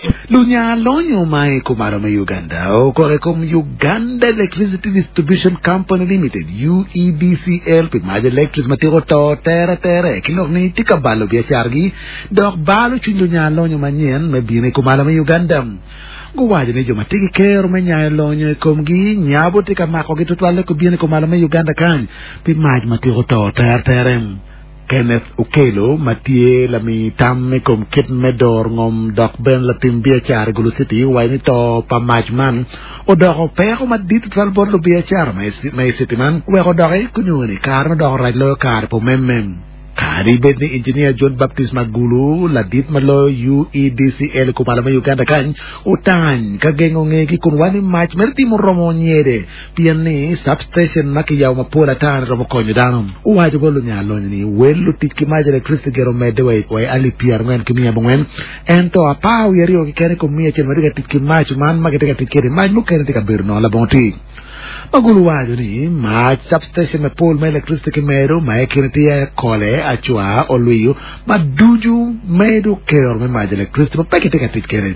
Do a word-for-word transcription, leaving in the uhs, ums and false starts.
Lunya lonyo ma i kumalo me Uganda okore kom Uganda Electricity Distribution Company Limited U E D C L pi mac electric ma tiko to tere tere ki lok ni tye ka balo biacaragi dok balo cwiny lunya lonyo manyen me bino i kumalo me Uganda. Guwaco ni jo ma tye ki kero me nyayo lonyo i komgi nyabo tye ka makogi tutwalle ko bino i kumalo me Uganda kany pi mac ma tiko to tere tere. Kenneth Okello ma tye lami tam i kom kit me dor ngom dok bene latim biacara i Gulu City owaco ni to pa mac man odoko peko madit tutwal bot lubiacara ma i city man weko doki kunyo ni kare ma doko rac loyo kare po memme. Kadi bed ni Engineer John Baptist Magulu ladit ma loyo U E D C L kumalo me Uganda kany otany ka gengo ngegi kun wani mac mere timo romo nyede pien ni substation ma kiyabo mapol ata ni romo konyo dano. Owaco bot lunya lonyo ni wel lutic ki mac electricity gero medde wa i alip pyera angwen ki miya abongwen ento apar wiye aryo keken i kom miya acel ma tye ka tic ki mac man ma gitye ka tic kede mac mukene tye ka bedo nono labongo tic. Magulu waco ni mac substation mapol ma electricity ki medo ma i kine tye Kole Acwa Olwiyo ma ducu medo kero me mac electricity ma pe gitye ka tic kede.